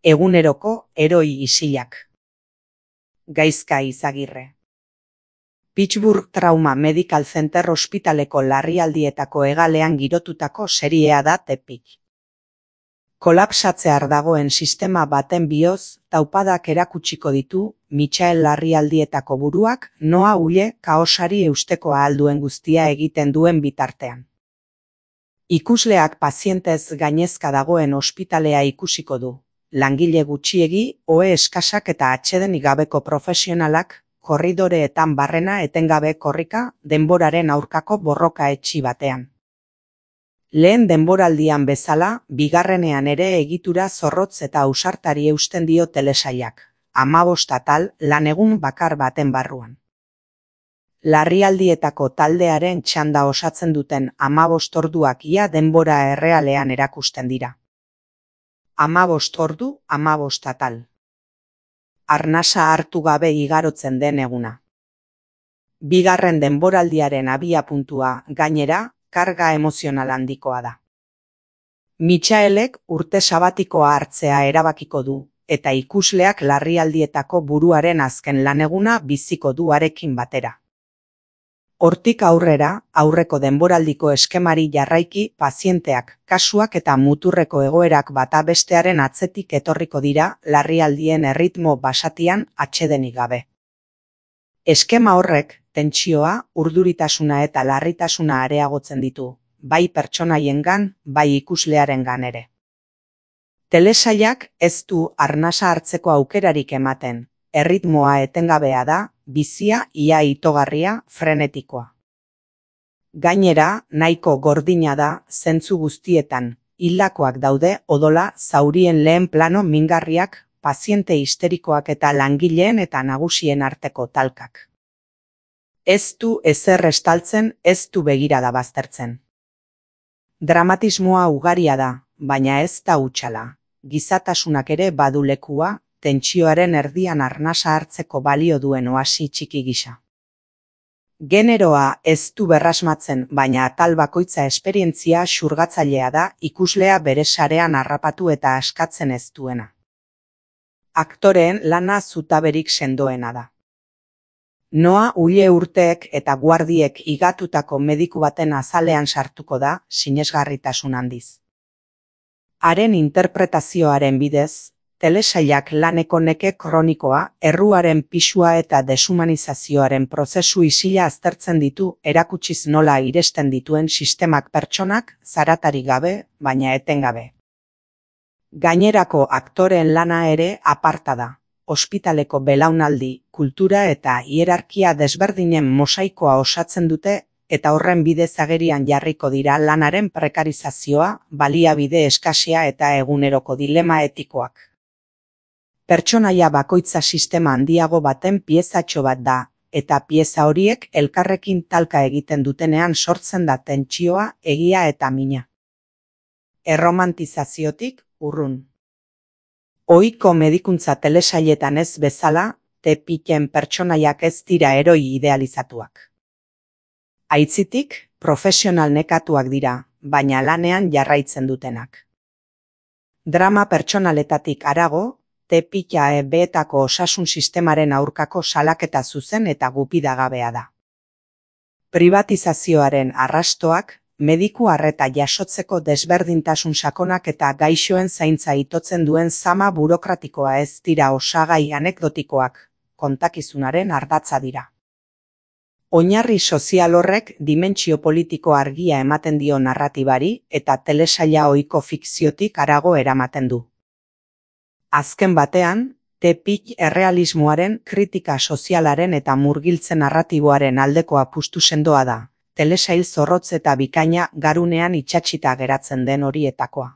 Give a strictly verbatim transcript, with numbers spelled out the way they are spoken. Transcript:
Eguneroko heroi isilak. Gaizka Izagirre. Pittsburgh Trauma Medical Center ospitaleko larrialdietako hegalean girotutako seriea da Tepik. Kolapsatzear dagoen sistema baten bioz, taupadak erakutsiko ditu, Michael larrialdietako buruak, noa huile kaosari eusteko ahal duen guztia egiten duen bitartean. Ikusleak pazientez gainezka dagoen ospitalea ikusiko du. Langile gutxiegi, ohe eskasak eta atsedenik gabeko profesionalak, korridoreetan barrena etengabe korrika, denboraren aurkako borroka etxi batean. Lehen denboraldian bezala, bigarrenean ere egitura zorrotz eta ausartari eusten dio telesailak, hamabost atal lanegun bakar baten barruan. Larrialdietako taldearen txanda osatzen duten hamabost orduak ia denbora errealean erakusten dira. Hamabost ordu, hamabost atal. Arnasa hartu gabe igarotzen den eguna. Bigarren denboraldiaren abiapuntua, gainera, karga emozional handikoa da. Michaelek urte sabatikoa hartzea erabakiko du, eta ikusleak larrialdietako buruaren azken laneguna biziko du harekin batera. Hortik aurrera, aurreko denboraldiko eskemari jarraiki, pazienteak, kasuak eta muturreko egoerak bata bestearen atzetik etorriko dira larrialdien erritmo basatian atsedenik gabe. Eskema horrek, tentsioa, urduritasuna eta larritasuna areagotzen ditu, bai pertsonaiengan, bai ikuslearengan ere. Telesailak ez du arnasa hartzeko aukerarik ematen, erritmoa etengabea da, bizia ia itogarria, frenetikoa. Gainera, nahiko gordina da, zentzu guztietan, hildakoak daude odola zaurien lehen plano mingarriak, paziente histerikoak eta langileen eta nagusien arteko talkak. Ez du ezer estaltzen, ez du begirada baztertzen. Dramatismoa ugaria da, baina ez da hutsala. Gizatasunak ere badu lekua, tentsioaren erdian arnasa hartzeko balio duen oasi txiki gisa. Generoa ez du berrasmatzen, baina atal bakoitza esperientzia xurgatzailea da ikuslea bere sarean harrapatu eta askatzen ez duena. Aktoreen lana zutaberik sendoena da. Noa huile urteek eta guardiek igatutako mediku baten azalean sartuko da, sinesgarritasun handiz. Haren interpretazioaren bidez, telesailak laneko neke kronikoa, erruaren pisua eta deshumanizazioaren prozesu isila aztertzen ditu erakutsiz nola iresten dituen sistemak pertsonak, zaratarik gabe, baina etengabe. Gainerako aktoreen lana ere aparta da. Ospitaleko belaunaldi, kultura eta hierarkia desberdinen mosaikoa osatzen dute eta horren bidez agerian jarriko dira lanaren prekarizazioa, baliabide eskasia eta eguneroko dilema etikoak. Pertsonaia bakoitza sistema handiago baten piezatxo bat da, eta pieza horiek elkarrekin talka egiten dutenean sortzen da tentsioa, egia eta mina. Erromantizaziotik urrun. Ohiko medikuntza telesailetan ez bezala, Tepiken pertsonaiak ez dira heroi idealizatuak. Aitzitik, profesional nekatuak dira, baina lanean jarraitzen dutenak. Drama pertsonaletatik harago, Tepika ebeetako osasun sistemaren aurkako salaketa zuzen eta gupidagabea da. Privatizazioaren arrastoak, mediku arreta jasotzeko desberdintasun sakonak eta gaixoen zaintza itotzen duen zama burokratikoa ez dira osagai anekdotikoak, kontakizunaren ardatza dira. Oinarri sozial horrek dimentsio politiko argia ematen dio narratibari eta telesaila ohiko fikziotik harago eramaten du. Azken batean, Tepik errealismoaren, kritika sozialaren eta murgiltze narratiboaren aldeko apustu sendoa da. Telesail zorrotz eta bikaina garunean itsatsita geratzen den horietakoa.